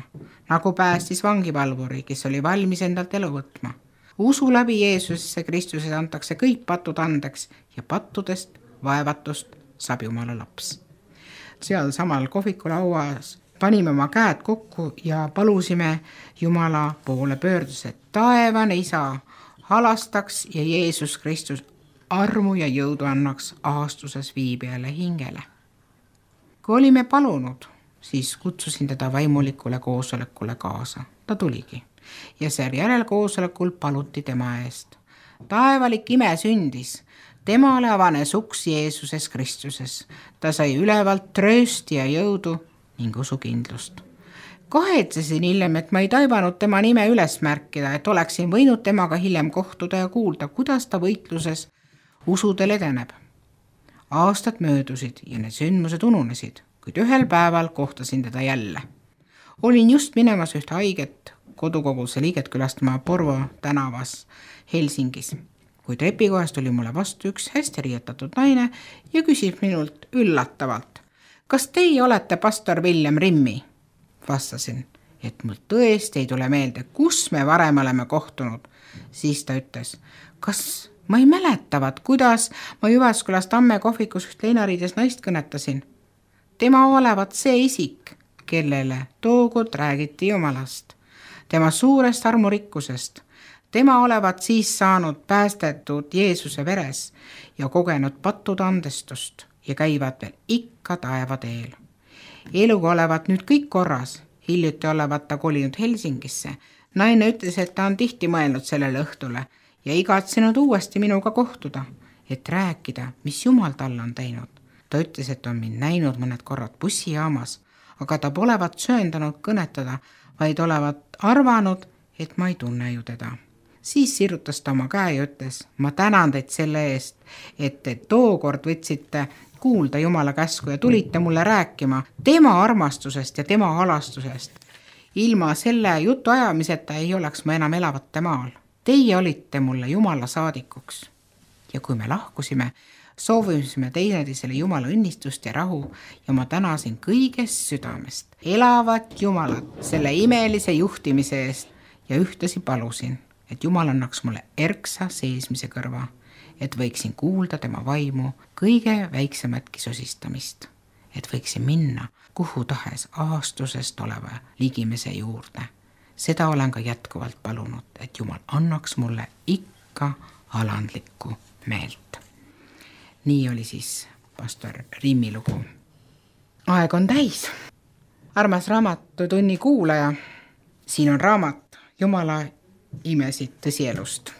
nagu päästis vangivalvuri, kes oli valmis endalt elu võtma. Usu läbi Jeesusesse Kristuses antakse kõik patud andeks ja pattudest, vaevatust saab Jumala laps. Seal samal kohvikulauas panime oma käed kokku ja palusime Jumala poole pöördus, et taevane isa halastaks ja Jeesus Kristus armu ja jõudu annaks aastuses viibijale hingele. Kui olime palunud, siis kutsusin teda vaimulikule koosolekule kaasa. Ta tuligi ja seejärel koosolekul paluti tema eest. Taevalik ime sündis. Temale avanes uks Jeesuses Kristuses. Ta sai ülevalt tröösti ja jõudu ning usukindlust. Kahetsesin hiljem, et ma ei taibanud tema nime üles märkida, et oleksin võinud temaga hiljem kohtuda ja kuulda, kuidas ta võitluses usudel edeneb. Aastad möödusid ja need sündmused ununesid, kuid ühel päeval kohtasin teda jälle. Olin just minemas ühte haiget kodukoguse liiget külastama Porvo tänavas Helsingis. Kui trepikohast tuli mulle vastu üks hästi riietatud naine ja küsib minult üllatavalt, kas teie olete pastor William Rimmi? Vastasin, et mul tõesti ei tule meelde, kus me varem oleme kohtunud. Siis ta ütles, kas ma ei mäletavat, kuidas ma Jyväskyläs Tamme kohvikus üht leinariides naist kõnetasin. Tema olevat see isik, kellele tookord räägiti Jumalast, tema suurest armurikkusest. Tema olevat siis saanud päästetud Jeesuse veres ja kogenud pattude andestust ja käivad veel ikka taevateel. Eluga olevat nüüd kõik korras, hiljuti olevat ta kolinud Helsingisse. Naine ütles, et ta on tihti mõelnud sellele õhtule ja igatsenud uuesti minuga kohtuda, et rääkida, mis Jumal tal on teinud. Ta ütles, et on mind näinud mõned korrad bussijaamas, aga ta polevat sööndanud kõnetada, vaid olevat arvanud, et ma ei tunne ju teda. Siis sirutas ta oma käe ja ütles, ma tänan teid selle eest, et te tookord võtsite kuulda Jumala käsku ja tulite mulle rääkima tema armastusest ja tema halastusest. Ilma selle jutu ajamiseta ei oleks ma enam elavate maal. Teie olite mulle Jumala saadikuks. Ja kui me lahkusime, soovisime teineteisele Jumala õnnistust ja rahu ja ma tänasin kõigest südamest elavat Jumalat selle imelise juhtimise eest ja ühtlasi palusin, et Jumal annaks mulle erksa seesmise kõrva, et võiksin kuulda tema vaimu kõige väiksematki sosistamist, et võiksin minna kuhu tahes aastusest oleva ligimese juurde. Seda olen ka jätkuvalt palunud, et Jumal annaks mulle ikka alandlikku meelt. Nii oli siis pastor Rimmi lugu. Aeg on täis. Armas Raamatutunni kuulaja, siin on raamat Jumala imesid tõsielust.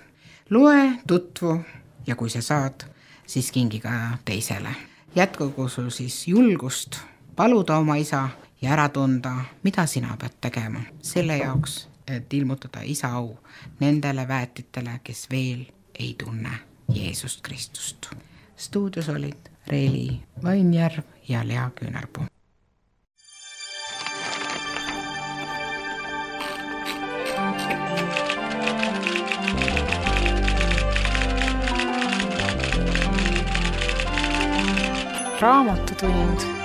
Loe, tutvu ja kui sa saad, siis kingi ka teisele. Jätkugu sul siis julgust paluda oma isa ja ära tunda, mida sina pead tegema selle jaoks, et ilmutada isa au nendele väetitele, kes veel ei tunne Jeesust Kristust. Stuudios olid Reeli Vainjärv ja Lea Küünarpuu. Raamatutund